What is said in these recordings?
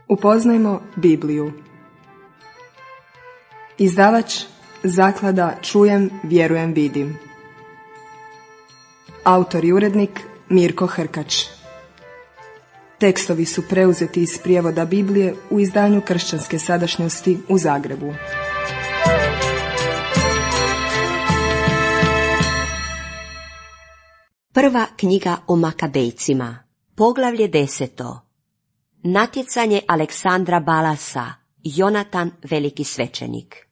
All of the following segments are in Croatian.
Upoznajmo Bibliju. Izdavač Zaklada Čujem, vjerujem, vidim. Autor i urednik Mirko Hrkač. Tekstovi su preuzeti iz prijevoda Biblije u izdanju Kršćanske sadašnjosti u Zagrebu. Prva knjiga o Makabejcima, poglavlje 10. Natjecanje Aleksandra Balasa, Jonatan veliki svećenik.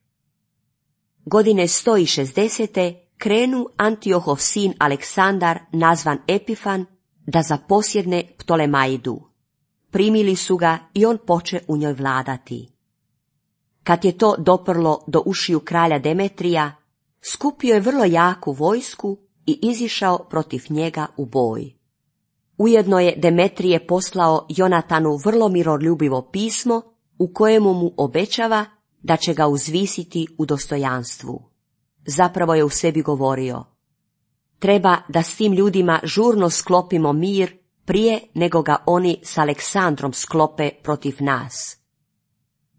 Godine 160. krenu Antiohov sin Aleksandar, nazvan Epifan, da zaposjedne Ptolemaidu. Primili su ga i on poče u njoj vladati. Kad je to doprlo do ušiju kralja Demetrija, skupio je vrlo jaku vojsku i izišao protiv njega u boj. Ujedno je Demetrije poslao Jonatanu vrlo miroljubivo pismo u kojemu mu obećava da će ga uzvisiti u dostojanstvu. Zapravo je u sebi govorio: treba da s tim ljudima žurno sklopimo mir prije nego ga oni s Aleksandrom sklope protiv nas.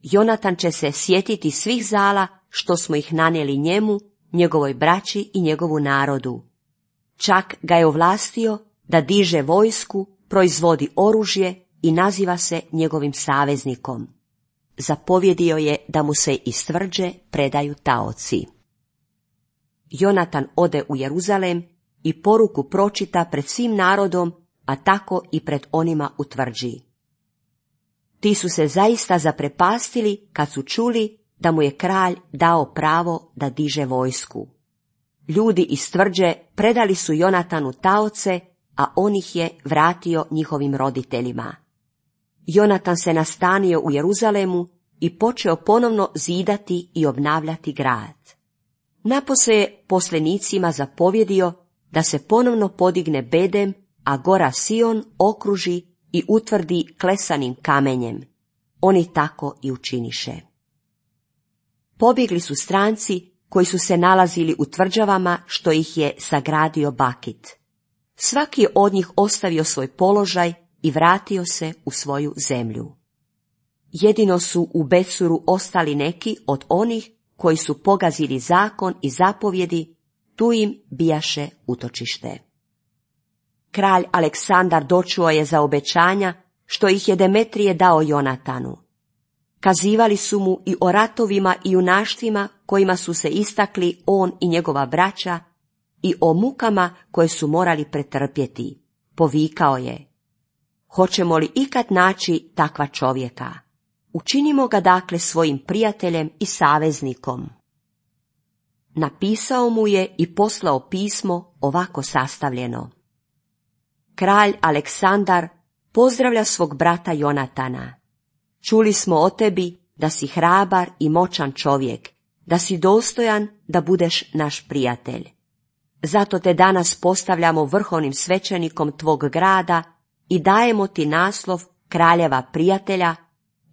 Jonatan će se sjetiti svih zala što smo ih nanijeli njemu, njegovoj braći i njegovu narodu. Čak ga je ovlastio da diže vojsku, proizvodi oružje i naziva se njegovim saveznikom. Zapovjedio je da mu se iz tvrđe predaju taoci. Jonatan ode u Jeruzalem i poruku pročita pred svim narodom, a tako i pred onima u tvrđi. Ti su se zaista zaprepastili kad su čuli da mu je kralj dao pravo da diže vojsku. Ljudi iz tvrđe predali su Jonatanu taoce, a on ih je vratio njihovim roditeljima. Jonatan se nastanio u Jeruzalemu i počeo ponovno zidati i obnavljati grad. Napose je poslenicima zapovjedio da se ponovno podigne bedem, a gora Sion okruži i utvrdi klesanim kamenjem. Oni tako i učiniše. Pobjegli su stranci koji su se nalazili u tvrđavama što ih je sagradio Bakit. Svaki je od njih ostavio svoj položaj i vratio se u svoju zemlju. Jedino su u Becuru ostali neki od onih koji su pogazili zakon i zapovjedi, tu im bijaše utočište. Kralj Aleksandar dočuo je za obećanja što ih je Demetrije dao Jonatanu. Kazivali su mu i o ratovima i junaštvima kojima su se istakli on i njegova braća i o mukama koje su morali pretrpjeti. Povikao je: hoćemo li ikad naći takva čovjeka? Učinimo ga dakle svojim prijateljem i saveznikom. Napisao mu je i poslao pismo ovako sastavljeno: kralj Aleksandar pozdravlja svog brata Jonatana. Čuli smo o tebi da si hrabar i moćan čovjek, da si dostojan da budeš naš prijatelj. Zato te danas postavljamo vrhovnim svećenikom tvog grada i dajemo ti naslov kraljeva prijatelja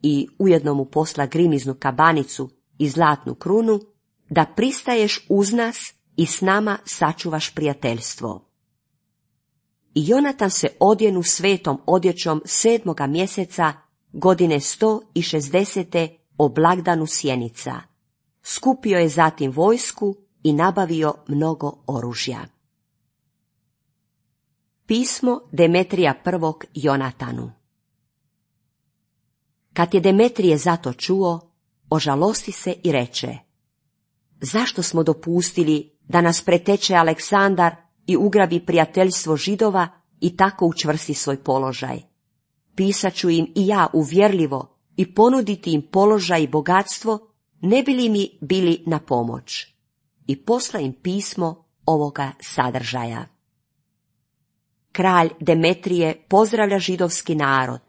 i ujedno mu posla grimiznu kabanicu i zlatnu krunu, da pristaješ uz nas i s nama sačuvaš prijateljstvo. I Jonatan se odjenu svetom odjećom 7. mjeseca godine 160. o blagdanu Sjenica. Skupio je zatim vojsku i nabavio mnogo oružja. Pismo Demetrija I. Jonatanu. Kad je Demetrije zato čuo, ožalosti se i reče: zašto smo dopustili da nas preteče Aleksandar i ugrabi prijateljstvo Židova i tako učvrsti svoj položaj? Pisat ću im i ja uvjerljivo i ponuditi im položaj i bogatstvo, ne bi li mi bili na pomoć. I posla im pismo ovoga sadržaja. Kralj Demetrije pozdravlja židovski narod.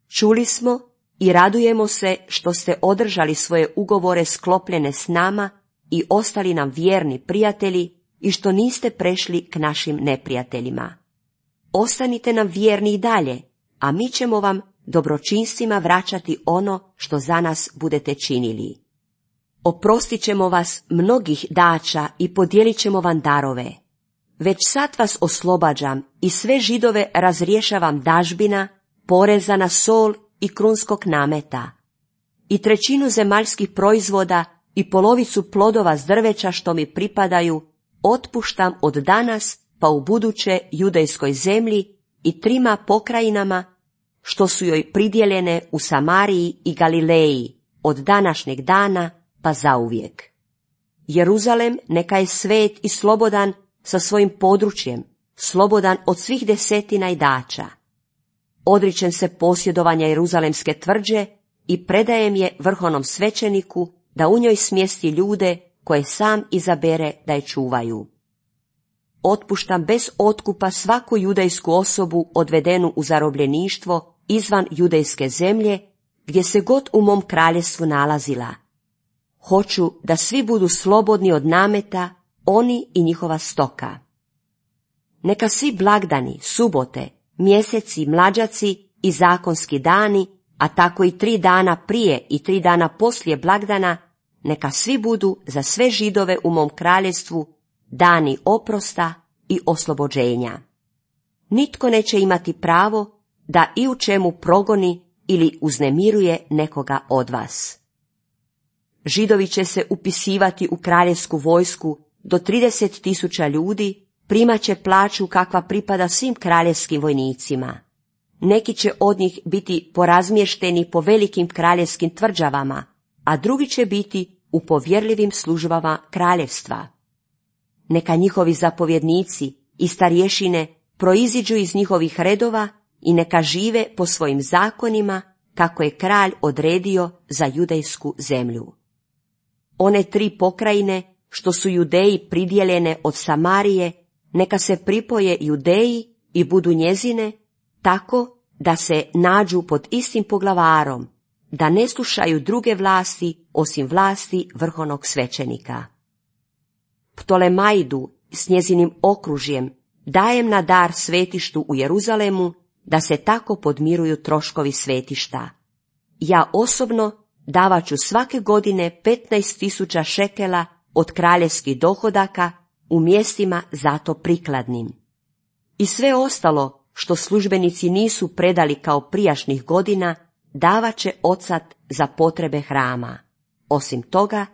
Čuli smo i radujemo se što ste održali svoje ugovore sklopljene s nama i ostali nam vjerni prijatelji i što niste prešli k našim neprijateljima. Ostanite nam vjerni i dalje, a mi ćemo vam dobročinstvima vraćati ono što za nas budete činili. Oprostit ćemo vas mnogih dača i podijelit ćemo vam darove. Već sad vas oslobađam i sve Židove razrješavam dažbina, poreza na sol i krunskog nameta, i 1/3 zemaljskih proizvoda i polovicu plodova s drveća što mi pripadaju, otpuštam od danas pa u buduće judejskoj zemlji i 3 pokrajinama što su joj pridjeljene u Samariji i Galileji od današnjeg dana pa zauvijek. Jeruzalem neka je svet i slobodan sa svojim područjem, slobodan od svih desetina i dača. Odričem se posjedovanja Jeruzalemske tvrđe i predajem je vrhovnom svećeniku da u njoj smjesti ljude koje sam izabere da je čuvaju. Otpuštam bez otkupa svaku judejsku osobu odvedenu u zarobljeništvo izvan judejske zemlje, gdje se god u mom kraljevstvu nalazila. Hoću da svi budu slobodni od nameta, oni i njihova stoka. Neka svi blagdani, subote, mjeseci, mlađaci i zakonski dani, a tako i 3 dana prije i 3 dana poslije blagdana, neka svi budu za sve Židove u mom kraljevstvu dani oprosta i oslobođenja. Nitko neće imati pravo da i u čemu progoni ili uznemiruje nekoga od vas. Židovi će se upisivati u kraljevsku vojsku do 30.000 ljudi, primat će plaću kakva pripada svim kraljevskim vojnicima. Neki će od njih biti porazmješteni po velikim kraljevskim tvrđavama, a drugi će biti u povjerljivim službama kraljevstva. Neka njihovi zapovjednici i starješine proiziđu iz njihovih redova i neka žive po svojim zakonima kako je kralj odredio za judejsku zemlju. One 3 pokrajine što su Judeji pridjeljene od Samarije, neka se pripoje Judeji i budu njezine, tako da se nađu pod istim poglavarom, da ne slušaju druge vlasti osim vlasti vrhovnog svećenika. Ptolemaidu s njezinim okružjem dajem na dar svetištu u Jeruzalemu, da se tako podmiruju troškovi svetišta. Ja osobno davat ću svake godine 15.000 šekela od kraljevskih dohodaka u mjestima zato prikladnim. I sve ostalo što službenici nisu predali kao prijašnjih godina, davat će odsad za potrebe hrama. Osim toga,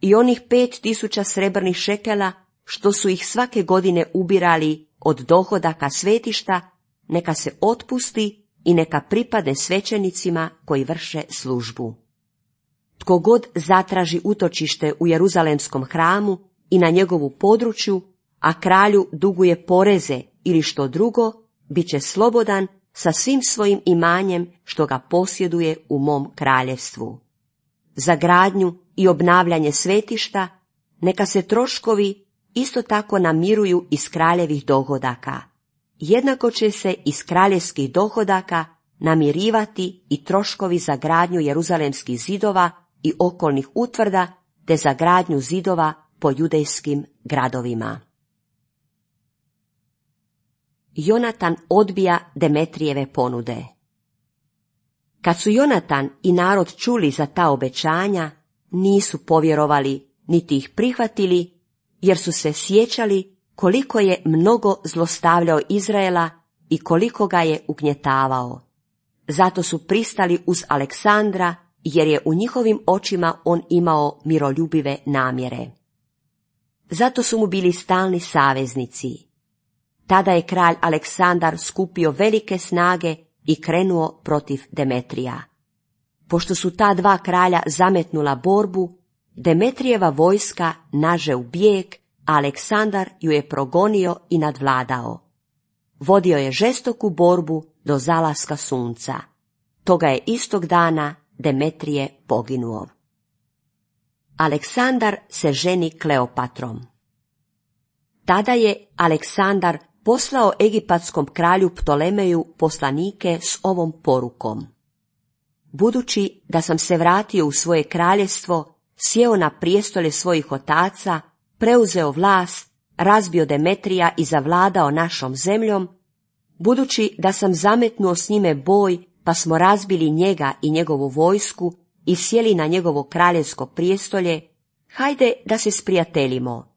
i onih 5.000 srebrnih šekela što su ih svake godine ubirali od dohodaka svetišta, neka se otpusti i neka pripadne svećenicima koji vrše službu. Tko god zatraži utočište u Jeruzalemskom hramu i na njegovu području, a kralju duguje poreze ili što drugo, bit će slobodan sa svim svojim imanjem što ga posjeduje u mom kraljevstvu. Za gradnju i obnavljanje svetišta neka se troškovi isto tako namiruju iz kraljevih dohodaka. Jednako će se iz kraljevskih dohodaka namirivati i troškovi za gradnju jeruzalemskih zidova i okolnih utvrda, te za gradnju zidova po judejskim gradovima. Jonatan odbija Demetrijeve ponude. Kad su Jonatan i narod čuli za ta obećanja, nisu povjerovali niti ih prihvatili, jer su se sjećali koliko je mnogo zlostavljao Izraela i koliko ga je ugnjetavao. Zato su pristali uz Aleksandra, jer je u njihovim očima on imao miroljubive namjere. Zato su mu bili stalni saveznici. Tada je kralj Aleksandar skupio velike snage i krenuo protiv Demetrija. Pošto su ta 2 kralja zametnula borbu, Demetrijeva vojska naže u bijeg, a Aleksandar ju je progonio i nadvladao. Vodio je žestoku borbu do zalaska sunca. Toga je istog dana Demetrije poginuo. Aleksandar se ženi Kleopatrom. Tada je Aleksandar poslao egipatskom kralju Ptolemeju poslanike s ovom porukom. Budući da sam se vratio u svoje kraljevstvo, sjeo na prijestolje svojih otaca, preuzeo vlast, razbio Demetrija i zavladao našom zemljom, budući da sam zametnuo s njime boj, pa smo razbili njega i njegovu vojsku i sjeli na njegovo kraljevsko prijestolje, hajde da se sprijateljimo.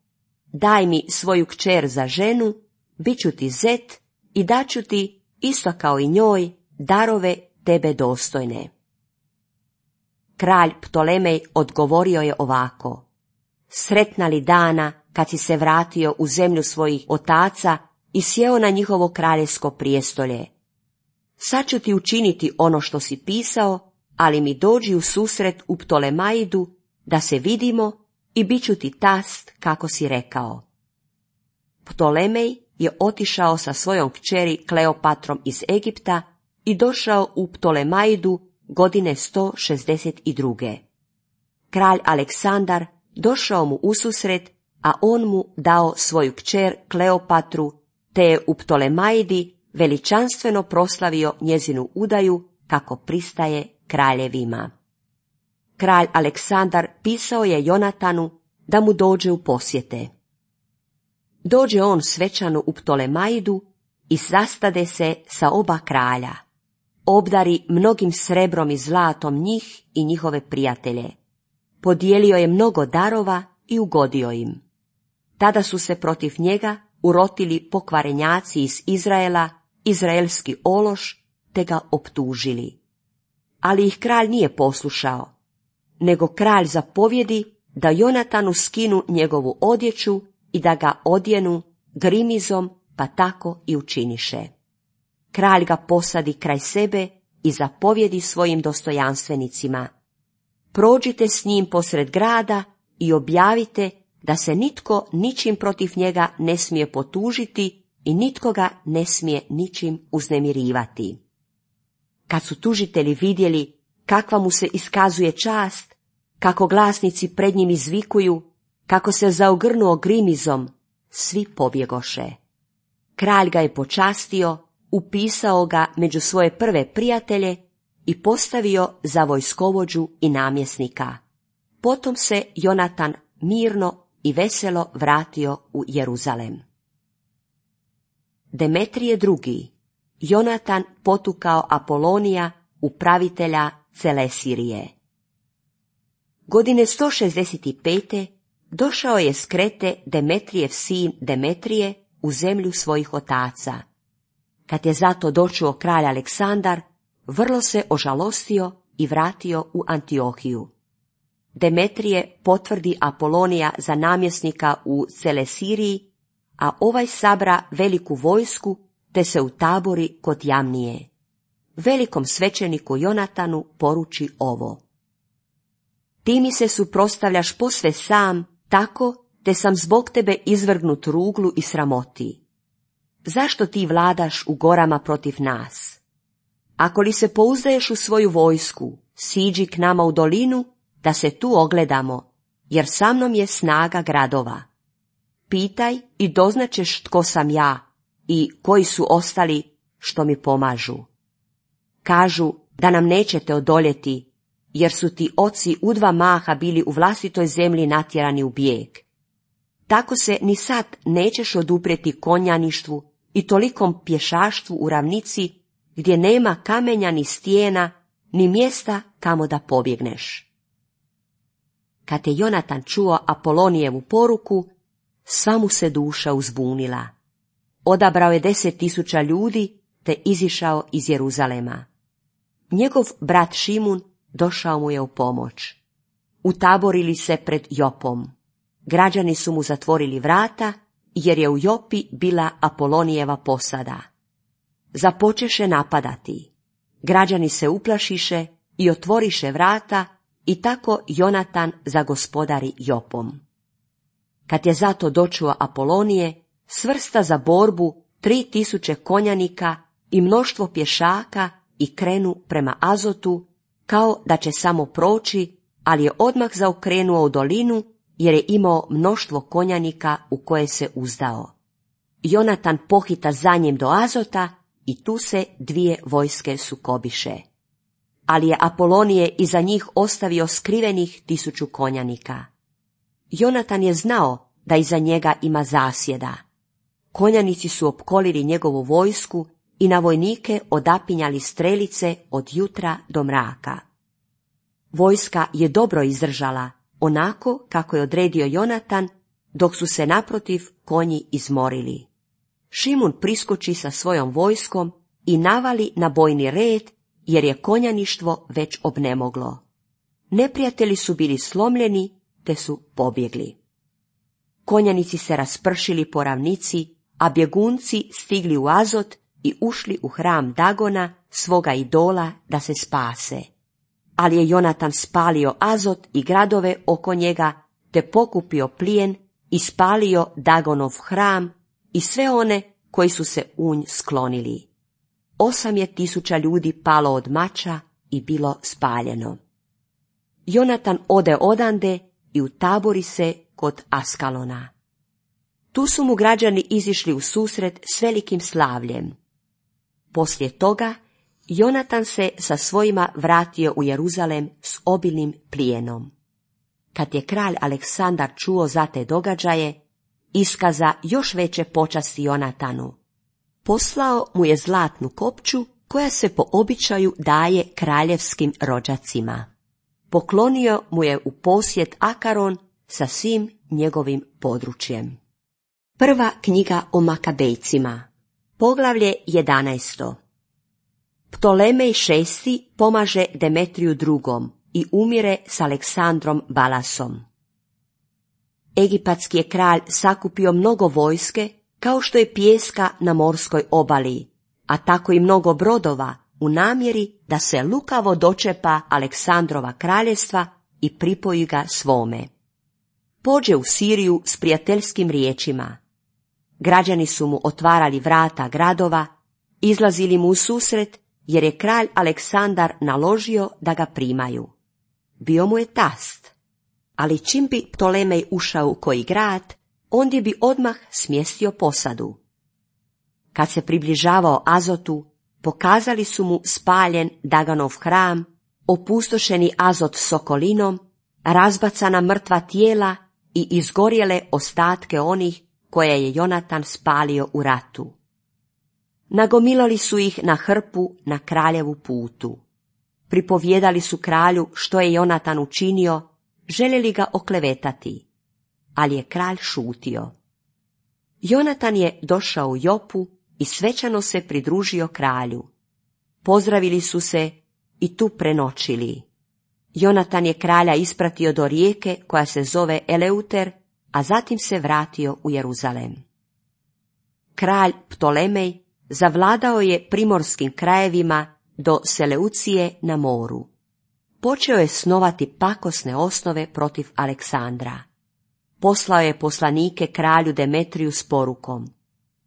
Daj mi svoju kćer za ženu, bit ću ti zet i daću ti, isto kao i njoj, darove tebe dostojne. Kralj Ptolemej odgovorio je ovako: Sretna li dana kad si se vratio u zemlju svojih otaca i sjeo na njihovo kraljevsko prijestolje. Sad ću ti učiniti ono što si pisao, ali mi dođi u susret u Ptolemaidu da se vidimo i bit ću ti tast kako si rekao. Ptolemej je otišao sa svojom kćeri Kleopatrom iz Egipta i došao u Ptolemaidu godine 162. Kralj Aleksandar došao mu ususret, a on mu dao svoju kćer Kleopatru, te je u Ptolemaidi veličanstveno proslavio njezinu udaju kako pristaje kraljevima. Kralj Aleksandar pisao je Jonatanu da mu dođe u posjete. Dođe on svečano u Ptolemaidu i sastade se sa oba kralja. Obdari mnogim srebrom i zlatom njih i njihove prijatelje. Podijelio je mnogo darova i ugodio im. Tada su se protiv njega urotili pokvarenjaci iz Izraela, izraelski ološ, te ga optužili. Ali ih kralj nije poslušao, nego kralj zapovjedi da Jonatanu skinu njegovu odjeću i da ga odjenu grimizom, pa tako i učiniše. Kralj ga posadi kraj sebe i zapovjedi svojim dostojanstvenicima: Prođite s njim posred grada i objavite da se nitko ničim protiv njega ne smije potužiti i nitko ga ne smije ničim uznemirivati. Kad su tužitelji vidjeli kakva mu se iskazuje čast, kako glasnici pred njim izvikuju, kako se zaogrnuo grimizom, svi pobjegoše. Kralj ga je počastio, upisao ga među svoje prve prijatelje i postavio za vojskovođu i namjesnika. Potom se Jonatan mirno i veselo vratio u Jeruzalem. Demetrije II. Jonatan potukao Apolonija, upravitelja Celesirije. Godine 165. došao je s Krete Demetrijev sin Demetrije u zemlju svojih otaca. Kad je zato dočuo kralj Aleksandar, vrlo se ožalostio i vratio u Antiohiju. Demetrije potvrdi Apolonija za namjesnika u Celesiriji, a ovaj sabra veliku vojsku te se utabori kod Jamnije. Velikom svećeniku Jonatanu poruči ovo: Ti mi se suprotstavljaš posve sam, tako te sam zbog tebe izvrgnut ruglu i sramoti. Zašto ti vladaš u gorama protiv nas? Ako li se pouzdaješ u svoju vojsku, siđi k nama u dolinu, da se tu ogledamo, jer sa mnom je snaga gradova. Pitaj i doznačeš tko sam ja i koji su ostali što mi pomažu. Kažu da nam nećete odoljeti, jer su ti oci u 2 maha bili u vlastitoj zemlji natjerani u bijeg. Tako se ni sad nećeš oduprijeti konjaništvu i tolikom pješaštvu u ravnici, gdje nema kamenja ni stijena, ni mjesta kamo da pobjegneš. Kad je Jonatan čuo Apolonijevu poruku, sva mu se duša uzbunila. Odabrao je 10.000 ljudi, te izišao iz Jeruzalema. Njegov brat Šimun došao mu je u pomoć. Utaborili se pred Jopom. Građani su mu zatvorili vrata, jer je u Jopi bila Apolonijeva posada. Započeše napadati. Građani se uplašiše i otvoriše vrata, i tako Jonatan zagospodari Jopom. Kad je zato dočuo Apolonije, svrsta za borbu 3.000 konjanika i mnoštvo pješaka i krenu prema Azotu, kao da će samo proći, ali je odmah zaokrenuo u dolinu, jer je imao mnoštvo konjanika u koje se uzdao. Jonatan pohita za njim do Azota i tu se 2 vojske sukobiše. Ali je Apolonije iza njih ostavio skrivenih 1000 konjanika. Jonatan je znao da iza njega ima zasjeda. Konjanici su opkolili njegovu vojsku i na vojnike odapinjali strelice od jutra do mraka. Vojska je dobro izdržala, onako kako je odredio Jonatan, dok su se naprotiv konji izmorili. Šimun priskoči sa svojom vojskom i navali na bojni red jer je konjaništvo već obnemoglo. Neprijatelji su bili slomljeni, te su pobjegli. Konjanici se raspršili po ravnici, a bjegunci stigli u Azot i ušli u hram Dagona, svoga idola, da se spase. Ali je Jonatan spalio Azot i gradove oko njega, te pokupio plijen i spalio Dagonov hram i sve one koji su se u nj sklonili. 8.000 ljudi palo od mača i bilo spaljeno. Jonatan ode odande i utabori se kod Askalona. Tu su mu građani izišli u susret s velikim slavljem. Poslije toga Jonatan se sa svojima vratio u Jeruzalem s obilnim plijenom. Kad je kralj Aleksandar čuo za te događaje, iskaza još veće počasti Jonatanu. Poslao mu je zlatnu kopču koja se po običaju daje kraljevskim rođacima. Poklonio mu je u posjed Akaron sa svim njegovim područjem. Prva knjiga o Makabejcima, poglavlje 11. Ptolemej VI pomaže Demetriju II i umire s Aleksandrom Balasom. Egipatski je kralj sakupio mnogo vojske, kao što je pijeska na morskoj obali, a tako i mnogo brodova, u namjeri da se lukavo dočepa Aleksandrova kraljevstva i pripoji ga svome. Pođe u Siriju s prijateljskim riječima. Građani su mu otvarali vrata gradova, izlazili mu u susret, jer je kralj Aleksandar naložio da ga primaju. Bio mu je tast, ali čim bi Ptolemej ušao u koji grad, ondje bi odmah smjestio posadu. Kad se približavao Azotu, pokazali su mu spaljen Daganov hram, opustošeni Azot s okolinom, razbacana mrtva tijela i izgorjele ostatke onih koje je Jonatan spalio u ratu. Nagomilali su ih na hrpu na kraljevu putu. Pripovjedali su kralju što je Jonatan učinio, željeli ga oklevetati, ali je kralj šutio. Jonatan je došao u Jopu i svečano se pridružio kralju. Pozdravili su se i tu prenoćili. Jonatan je kralja ispratio do rijeke koja se zove Eleuter, a zatim se vratio u Jeruzalem. Kralj Ptolemej zavladao je primorskim krajevima do Seleucije na moru. Počeo je snovati pakosne osnove protiv Aleksandra. Poslao je poslanike kralju Demetriju s porukom: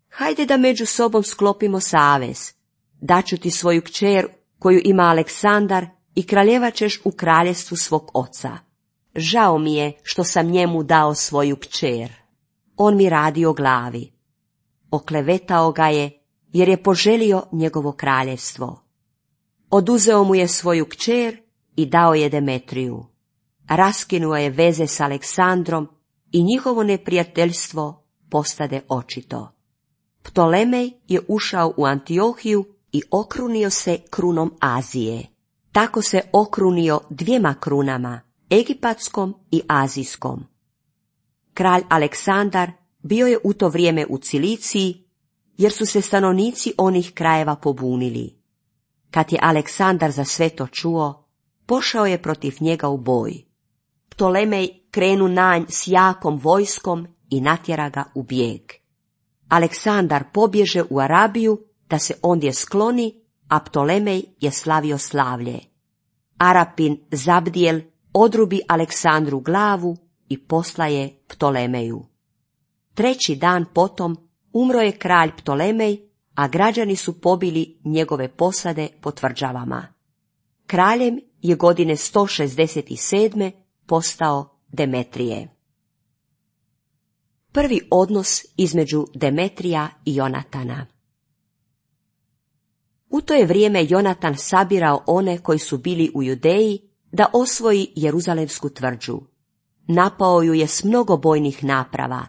hajde da među sobom sklopimo savez, daću ti svoju kćer koju ima Aleksandar i kraljevat ćeš u kraljestvu svog oca. Žao mi je što sam njemu dao svoju kćer. On mi radi o glavi. Oklevetao ga je jer je poželio njegovo kraljevstvo. Oduzeo mu je svoju kćer i dao je Demetriju. Raskinuo je veze s Aleksandrom i njihovo neprijateljstvo postade očito. Ptolemej je ušao u Antiohiju i okrunio se krunom Azije. Tako se okrunio 2 krunama, egipatskom i azijskom. Kralj Aleksandar bio je u to vrijeme u Ciliciji, jer su se stanovnici onih krajeva pobunili. Kad je Aleksandar za sve to čuo, pošao je protiv njega u boj. Ptolemej krenu na nj s jakom vojskom i natjera ga u bijeg. Aleksandar pobježe u Arabiju da se ondje skloni, a Ptolemej je slavio slavlje. Arapin Zabdijel odrubi Aleksandru glavu i posla je Ptolemeju. 3. dan potom umro je kralj Ptolemej, a građani su pobili njegove posade po tvrđavama. Kraljem je godine 167. postao Demetrije. Prvi odnos između Demetrija i Jonatana. U to je vrijeme Jonatan sabirao one koji su bili u Judeji da osvoji Jeruzalemsku tvrđu. Napao ju je s mnogo bojnih naprava.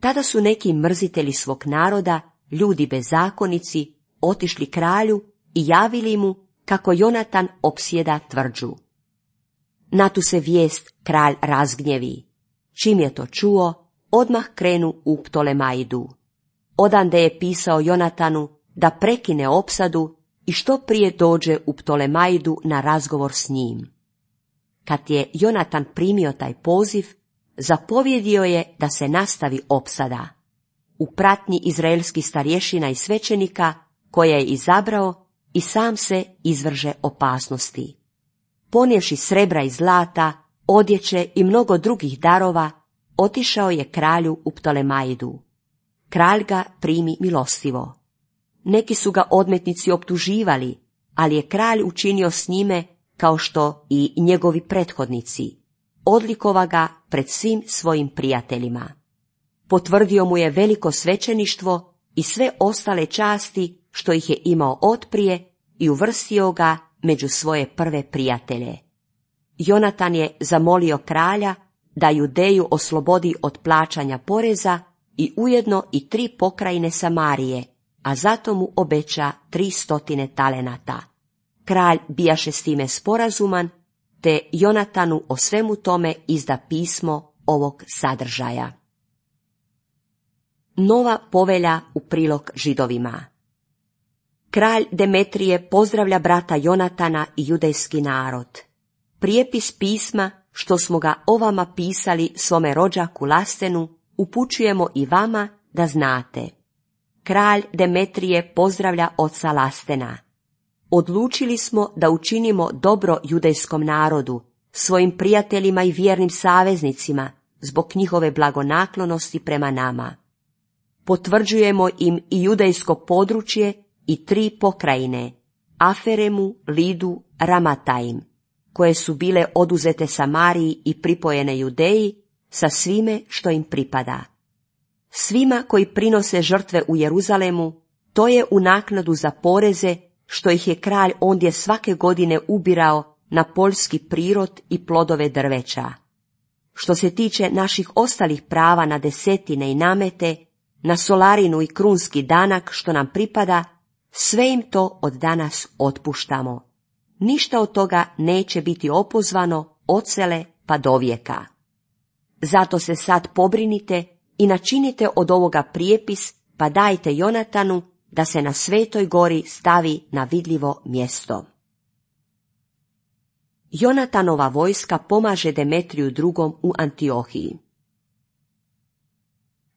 Tada su neki mrzitelji svog naroda, ljudi bezakonici, otišli kralju i javili mu kako Jonatan opsjeda tvrđu. Na tu se vijest kralj razgnjevi. Čim je to čuo, odmah krenu u Ptolemaidu. Odande je pisao Jonatanu da prekine opsadu i što prije dođe u Ptolemaidu na razgovor s njim. Kad je Jonatan primio taj poziv, zapovjedio je da se nastavi opsada. U pratnji izraelskih starješina i svećenika, koje je izabrao, i sam se izvrže opasnosti. Ponijevši srebra i zlata, odjeće i mnogo drugih darova, otišao je kralju u Ptolemaidu. Kralj ga primi milostivo. Neki su ga odmetnici optuživali, ali je kralj učinio s njime kao što i njegovi prethodnici. Odlikova ga pred svim svojim prijateljima. Potvrdio mu je veliko svećeništvo i sve ostale časti što ih je imao otprije i uvrstio ga među svoje prve prijatelje. Jonatan je zamolio kralja da Judeju oslobodi od plaćanja poreza i ujedno i 3 pokrajine Samarije, a zato mu obeća 300 talenata. Kralj bijaše s time sporazuman, te Jonatanu o svemu tome izda pismo ovog sadržaja. Nova povelja u prilog Židovima. Kralj Demetrije pozdravlja brata Jonatana i judejski narod. Prijepis pisma što smo ga o vama pisali svome rođaku Lastenu upućujemo i vama da znate. Kralj Demetrije pozdravlja oca Lastena. Odlučili smo da učinimo dobro judejskom narodu, svojim prijateljima i vjernim saveznicima, zbog njihove blagonaklonosti prema nama. Potvrđujemo im i judejsko područje i 3 pokrajine, Aferemu, Lidu, Ramataim, koje su bile oduzete Samariji i pripojene Judeji sa svime što im pripada. Svima koji prinose žrtve u Jeruzalemu, to je u naknadu za poreze što ih je kralj ondje svake godine ubirao na poljski prirod i plodove drveća. Što se tiče naših ostalih prava na desetine i namete, na solarinu i krunski danak što nam pripada, sve im to od danas otpuštamo. Ništa od toga neće biti opozvano odsele pa do vijeka. Zato se sad pobrinite i načinite od ovoga prijepis, pa dajte Jonatanu da se na Svetoj gori stavi na vidljivo mjesto. Jonatanova vojska pomaže Demetriju II. U Antiohiji.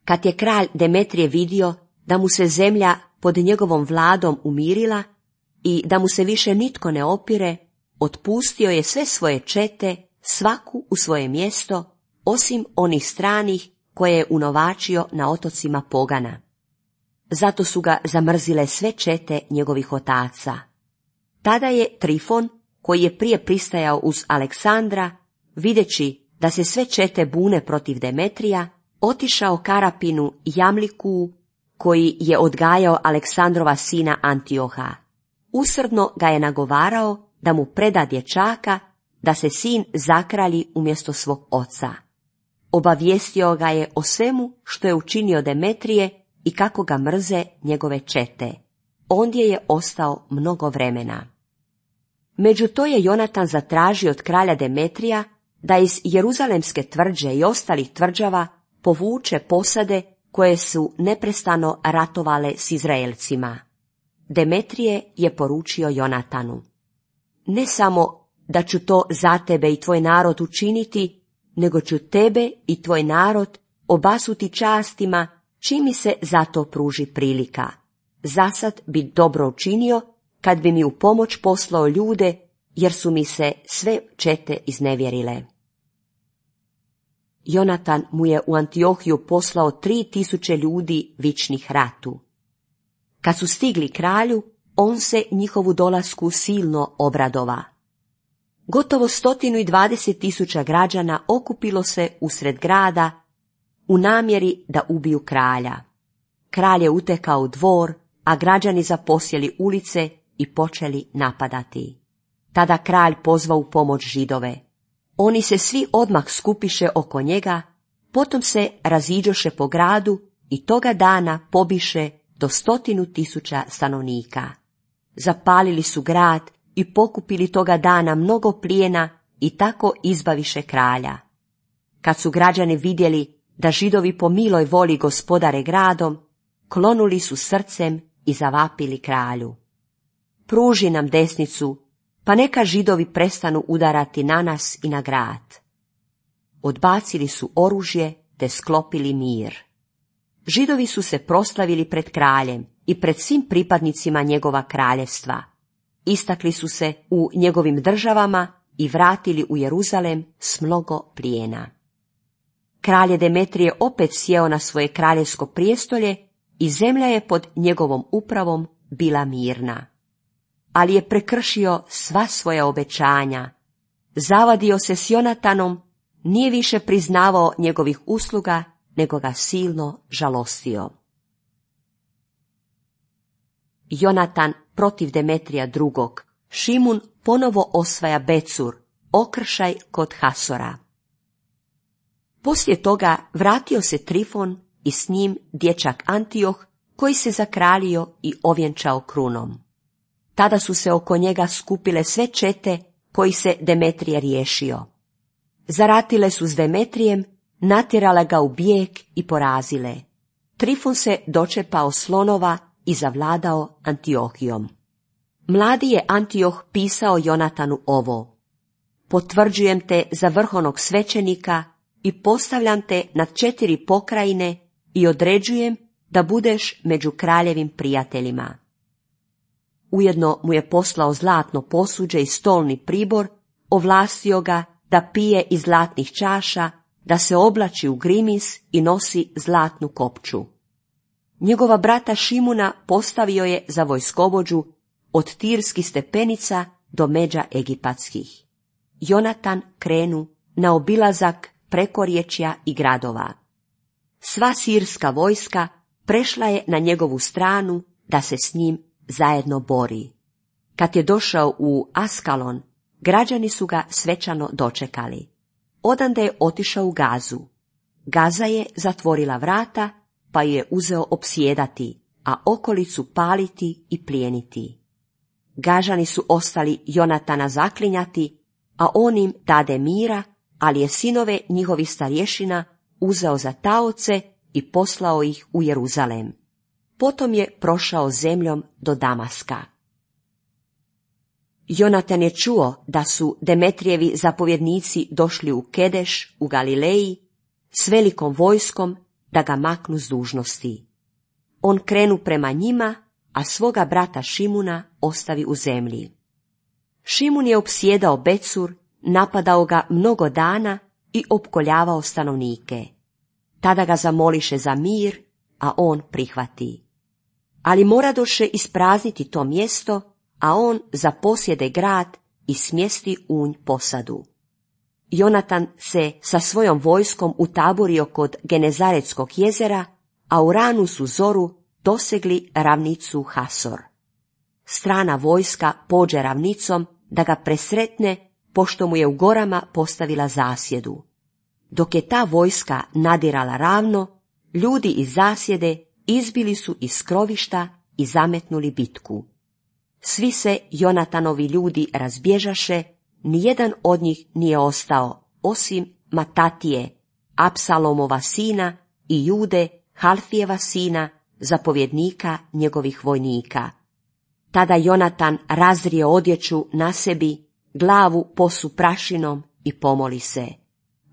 Kad je kralj Demetrije vidio da mu se zemlja pod njegovom vladom umirila i da mu se više nitko ne opire, otpustio je sve svoje čete, svaku u svoje mjesto, osim onih stranih koje je unovačio na otocima Pogana. Zato su ga zamrzile sve čete njegovih otaca. Tada je Trifon, koji je prije pristajao uz Aleksandra, videći da se sve čete bune protiv Demetrija, otišao Karapinu Jamliku, koji je odgajao Aleksandrova sina Antioha. Usrdno ga je nagovarao da mu preda dječaka, da se sin zakralji umjesto svog oca. Obavijestio ga je o svemu što je učinio Demetrije i kako ga mrze njegove čete. Ondje je ostao mnogo vremena. Među to je Jonatan zatražio od kralja Demetrija da iz Jeruzalemske tvrđe i ostalih tvrđava povuče posade koje su neprestano ratovale s Izraelcima. Demetrije je poručio Jonatanu: ne samo da ću to za tebe i tvoj narod učiniti, nego ću tebe i tvoj narod obasuti častima čim mi se za to pruži prilika. Zasad bi dobro učinio kad bi mi u pomoć poslao ljude, jer su mi se sve čete iznevjerile. Jonatan mu je u Antiohiju poslao 3000 ljudi vičnih ratu. Kad su stigli kralju, on se njihovu dolasku silno obradova. Gotovo 120.000 građana okupilo se usred grada u namjeri da ubiju kralja. Kralj je utekao u dvor, a građani zaposjeli ulice i počeli napadati. Tada kralj pozvao u pomoć Židove. Oni se svi odmah skupiše oko njega, potom se raziđoše po gradu i toga dana pobiše do 100.000 stanovnika. Zapalili su grad i pokupili toga dana mnogo plijena i tako izbaviše kralja. Kad su građani vidjeli da Židovi po miloj voli gospodare gradom, klonuli su srcem i zavapili kralju. pruži nam desnicu, pa neka Židovi prestanu udarati na nas i na grad. Odbacili su oružje te sklopili mir. Židovi su se proslavili pred kraljem i pred svim pripadnicima njegova kraljevstva. Istakli su se u njegovim državama i vratili u Jeruzalem s mnogo plijena. Kralj je Demetrije opet sjeo na svoje kraljevsko prijestolje i zemlja je pod njegovom upravom bila mirna. Ali je prekršio sva svoja obećanja, zavadio se s Jonatanom, nije više priznavao njegovih usluga, nego ga silno žalostio. Jonatan protiv Demetrija II. Šimun ponovo osvaja Becur, okršaj kod Hasora. Poslije toga vratio se Trifon i s njim dječak Antioh, koji se zakraljio i ovjenčao krunom. Tada su se oko njega skupile sve čete koji se Demetrije riješio. Zaratile su s Demetrijem, natjerale ga u bijeg i porazile. Trifon se dočepao slonova i zavladao Antiohijom. Mladi je Antioh pisao Jonatanu ovo: potvrđujem te za vrhovnog svećenika i postavljam te nad 4 pokrajine i određujem da budeš među kraljevim prijateljima. Ujedno mu je poslao zlatno posuđe i stolni pribor, ovlastio ga da pije iz zlatnih čaša, da se oblači u grimis i nosi zlatnu kopču. Njegova brata Šimuna postavio je za vojskovođu od Tirskih stepenica do međa egipatskih. Jonatan krenu na obilazak prekorječja i gradova. Sva sirska vojska prešla je na njegovu stranu da se s njim zajedno bori. Kad je došao u Askalon, građani su ga svečano dočekali. Odande je otišao u Gazu. Gaza je zatvorila vrata, pa je uzeo opsjedati, a okolicu paliti i plijeniti. Gažani su ostali Jonatana zaklinjati, a on im dade mira, ali je sinove njihovih starješina uzeo za taoce i poslao ih u Jeruzalem. Potom je prošao zemljom do Damaska. Jonatan je čuo da su Demetrijevi zapovjednici došli u Kedeš u Galileji s velikom vojskom da ga maknu s dužnosti. On krenu prema njima, a svoga brata Šimuna ostavi u zemlji. Šimun je opsjedao Becur, napadao ga mnogo dana i opkoljavao stanovnike. Tada ga zamoliše za mir, a on prihvati. Ali moradoše isprazniti to mjesto, a on zaposjede grad i smjesti u nj posadu. Jonatan se sa svojom vojskom utaborio kod Genezaretskog jezera, a u ranu su zoru dosegli ravnicu Hasor. Strana vojska pođe ravnicom da ga presretne, pošto mu je u gorama postavila zasjedu. Dok je ta vojska nadirala ravno, ljudi iz zasjede izbili su iz skrovišta i zametnuli bitku. Svi se Jonatanovi ljudi razbježaše, nijedan od njih nije ostao, osim Matatije, Apsalomova sina, i Jude, Halfijeva sina, zapovjednika njegovih vojnika. Tada Jonatan razrije odjeću na sebi, glavu posu prašinom i pomoli se: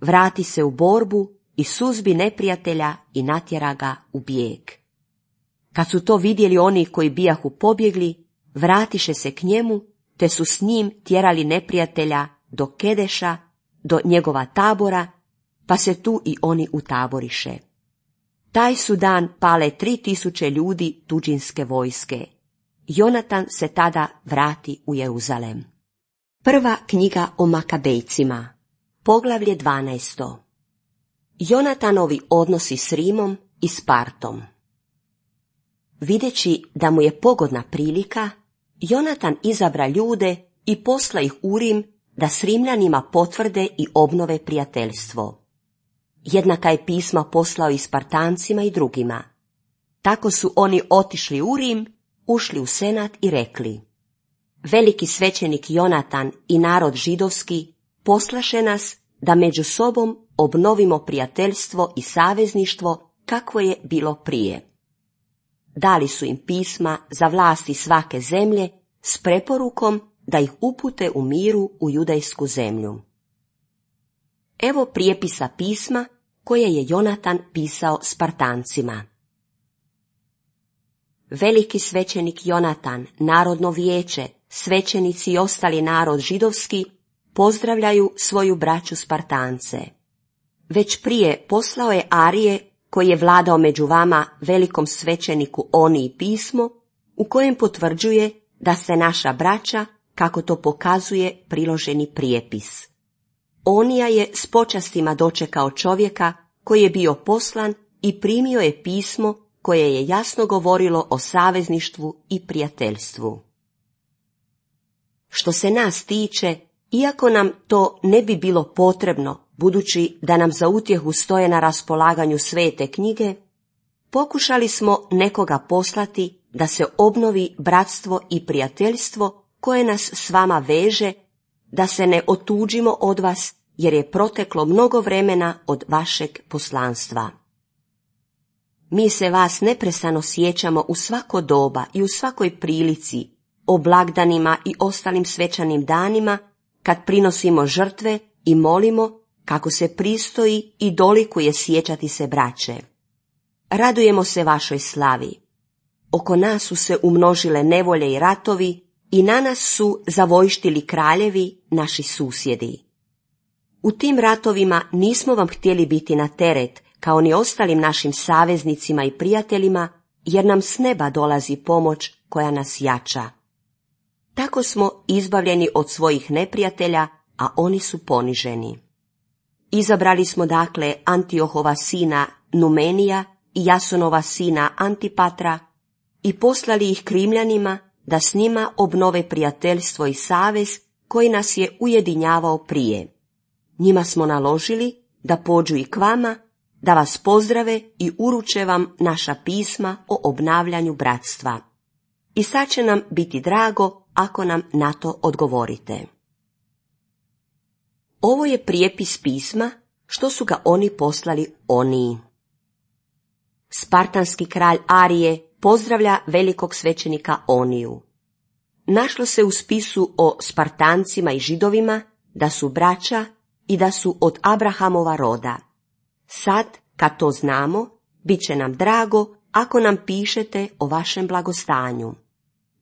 vrati se u borbu i suzbi neprijatelja i natjera ga u bijeg. Kad su to vidjeli oni koji bijahu pobjegli, vratiše se k njemu, te su s njim tjerali neprijatelja do Kedeša, do njegova tabora, pa se tu i oni utaboriše. Taj su dan pale 3000 ljudi tuđinske vojske. Jonatan se tada vrati u Jeruzalem. Prva knjiga o Makabejcima, poglavlje 12. Jonatanovi odnosi s Rimom i Spartom. Videći da mu je pogodna prilika, Jonatan izabra ljude i posla ih u Rim da s Rimljanima potvrde i obnove prijateljstvo. Jednaka je pisma poslao i Spartancima i drugima. Tako su oni otišli u Rim, ušli u senat i rekli: veliki svećenik Jonatan i narod židovski poslaše nas da među sobom obnovimo prijateljstvo i savezništvo kakvo je bilo prije. Dali su im pisma za vlasti svake zemlje, s preporukom da ih upute u miru u judejsku zemlju. Evo prijepisa pisma koje je Jonatan pisao Spartancima. Veliki svećenik Jonatan, narodno vijeće, svećenici i ostali narod židovski pozdravljaju svoju braću Spartance. Već prije poslao je Arije, koji je vladao među vama, velikom svećeniku Oniji pismo, u kojem potvrđuje da ste naša braća, kako to pokazuje priloženi prijepis. Onija je s počastima dočekao čovjeka koji je bio poslan i primio je pismo koje je jasno govorilo o savezništvu i prijateljstvu. Što se nas tiče, iako nam to ne bi bilo potrebno, budući da nam za utjehu stoje na raspolaganju svete knjige, pokušali smo nekoga poslati da se obnovi bratstvo i prijateljstvo koje nas s vama veže, da se ne otuđimo od vas, jer je proteklo mnogo vremena od vašeg poslanstva. Mi se vas neprestano sjećamo u svako doba i u svakoj prilici, o blagdanima i ostalim svečanim danima, kad prinosimo žrtve i molimo kako se pristoji i dolikuje sjećati se braće. Radujemo se vašoj slavi. Oko nas su se umnožile nevolje i ratovi i na nas su zavojštili kraljevi, naši susjedi. U tim ratovima nismo vam htjeli biti na teret, kao ni ostalim našim saveznicima i prijateljima, jer nam s neba dolazi pomoć koja nas jača. Tako smo izbavljeni od svojih neprijatelja, a oni su poniženi. Izabrali smo dakle Antiohova sina Numenija i Jasonova sina Antipatra i poslali ih Krimljanima da s njima obnove prijateljstvo i savez koji nas je ujedinjavao prije. Njima smo naložili da pođu i k vama, da vas pozdrave i uruče vam naša pisma o obnavljanju bratstva. I sad će nam biti drago ako nam na to odgovorite. Ovo je prijepis pisma što su ga oni poslali Oniji. Spartanski kralj Arije pozdravlja velikog svećenika Oniju. Našlo se u spisu o Spartancima i Židovima da su braća i da su od Abrahamova roda. Sad, kad to znamo, bit će nam drago ako nam pišete o vašem blagostanju.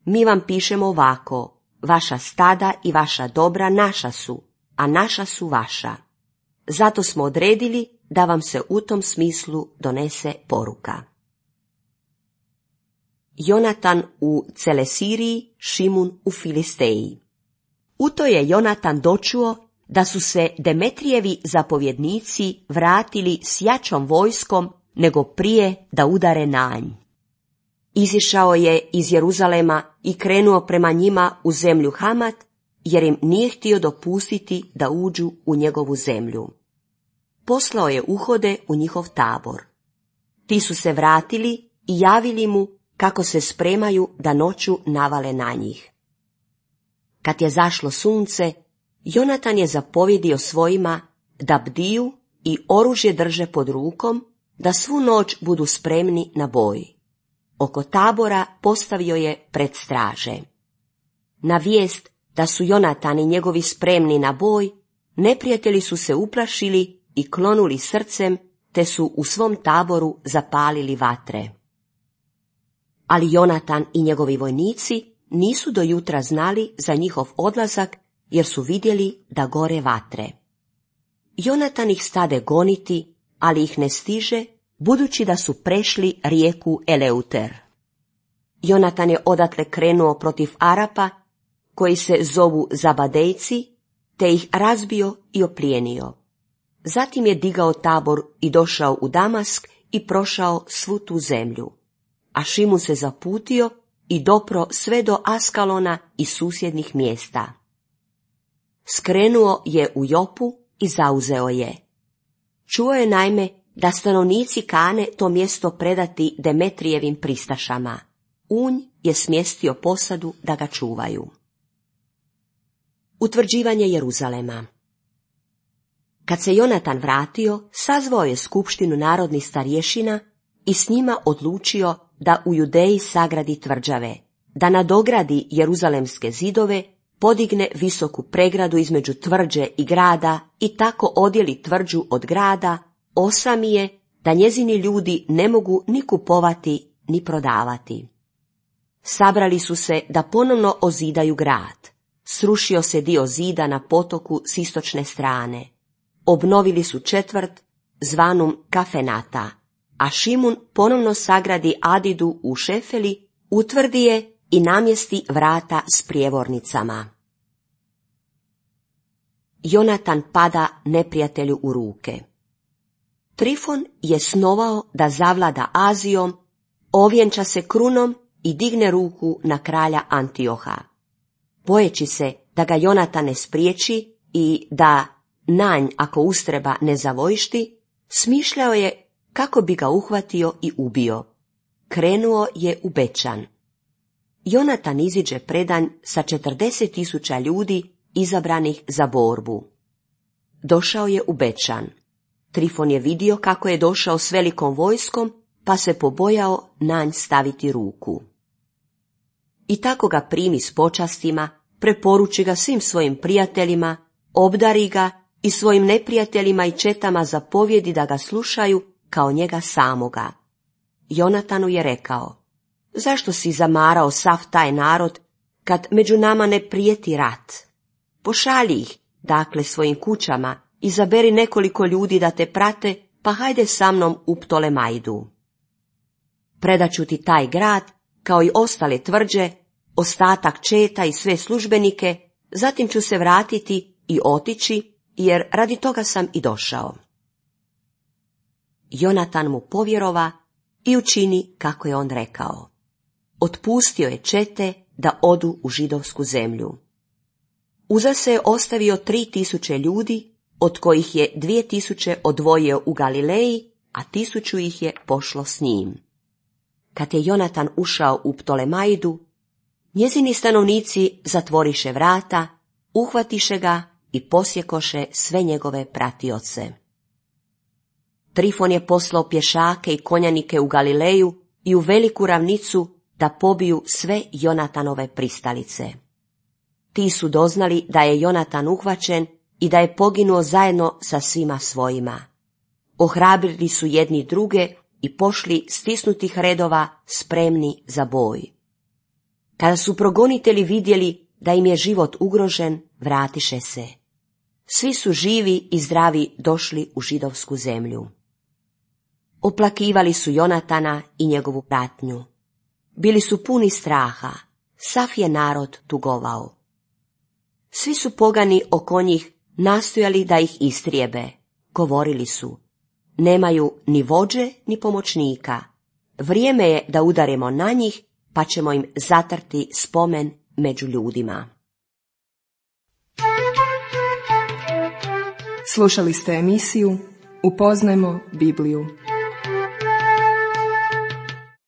Mi vam pišemo ovako: vaša stada i vaša dobra naša su, a naša su vaša. Zato smo odredili da vam se u tom smislu donese poruka. Jonatan u Celesiriji, Šimun u Filisteji. U to je Jonatan dočuo da su se Demetrijevi zapovjednici vratili s jačom vojskom nego prije da udare na nj. Izišao je iz Jeruzalema i krenuo prema njima u zemlju Hamat, jer im nije htio dopustiti da uđu u njegovu zemlju. Poslao je uhode u njihov tabor. Ti su se vratili i javili mu kako se spremaju da noću navale na njih. Kad je zašlo sunce, Jonatan je zapovjedio svojima da bdiju i oružje drže pod rukom, da svu noć budu spremni na boj. Oko tabora postavio je pred straže. Na vijest da su Jonatan i njegovi spremni na boj, neprijatelji su se uplašili i klonuli srcem, te su u svom taboru zapalili vatre. Ali Jonatan i njegovi vojnici nisu do jutra znali za njihov odlazak, jer su vidjeli da gore vatre. Jonatan ih stade goniti, ali ih ne stiže, budući da su prešli rijeku Eleuter. Jonatan je odatle krenuo protiv Arapa, koji se zovu Zabadejci, te ih razbio i oplijenio. Zatim je digao tabor i došao u Damask i prošao svu tu zemlju. A Šimun se zaputio i dopro sve do Askalona i susjednih mjesta. Skrenuo je u Jopu i zauzeo je. Čuo je naime da stanovnici kane to mjesto predati Demetrijevim pristašama. U nj je smjestio posadu da ga čuvaju. Utvrđivanje Jeruzalema. Kad se Jonatan vratio, sazvao je skupštinu narodnih starješina i s njima odlučio da u Judeji sagradi tvrđave, da nadogradi jeruzalemske zidove, podigne visoku pregradu između tvrđe i grada i tako odjeli tvrđu od grada, osami je da njezini ljudi ne mogu ni kupovati ni prodavati. Sabrali su se da ponovno ozidaju grad. Srušio se dio zida na potoku s istočne strane. Obnovili su četvrt zvanum Kafenata, a Šimun ponovno sagradi Adidu u Šefeli, utvrdi je i namjesti vrata s prijevornicama. Jonatan pada neprijatelju u ruke. Trifon je snovao da zavlada Azijom, ovjenča se krunom i digne ruku na kralja Antioha. Bojeći se da ga Jonatan ne spriječi i da nanj, ako ustreba, ne zavojšti, smišljao je kako bi ga uhvatio i ubio. Krenuo je u Bečan. Jonatan iziđe predanj sa 40.000 ljudi izabranih za borbu. Došao je u Bečan. Trifon je vidio kako je došao s velikom vojskom, pa se pobojao nanj staviti ruku. I tako ga primi s počastima, preporuči ga svim svojim prijateljima, obdari ga i svojim neprijateljima i četama zapovjedi da ga slušaju kao njega samoga. Jonatanu je rekao: zašto si zamarao sav taj narod, kad među nama ne prijeti rat? Pošalji ih, dakle, svojim kućama, izaberi nekoliko ljudi da te prate, pa hajde sa mnom u Ptolemaidu. Predaću ti taj grad, kao i ostale tvrđe, ostatak četa i sve službenike, zatim ću se vratiti i otići, jer radi toga sam i došao. Jonatan mu povjerova i učini kako je on rekao. Otpustio je čete da odu u židovsku zemlju. Uza se je ostavio 3.000 ljudi, od kojih je 2.000 odvojio u Galileji, a 1.000 ih je pošlo s njim. Kad je Jonatan ušao u Ptolemaidu, njezini stanovnici zatvoriše vrata, uhvatiše ga i posjekoše sve njegove pratioce. Trifon je poslao pješake i konjanike u Galileju i u veliku ravnicu da pobiju sve Jonatanove pristalice. Ti su doznali da je Jonatan uhvaćen i da je poginuo zajedno sa svima svojima. Ohrabrili su jedni druge i pošli stisnutih redova spremni za boj. Kada su progonitelji vidjeli da im je život ugrožen, vratiše se. Svi su živi i zdravi došli u židovsku zemlju. Oplakivali su Jonatana i njegovu pratnju. Bili su puni straha, sav je narod tugovao. Svi su pogani oko njih nastojali da ih istrijebe. Govorili su: nemaju ni vođe ni pomoćnika. Vrijeme je da udaremo na njih, pa ćemo im zatrti spomen među ljudima. Slušali ste emisiju Upoznajmo Bibliju.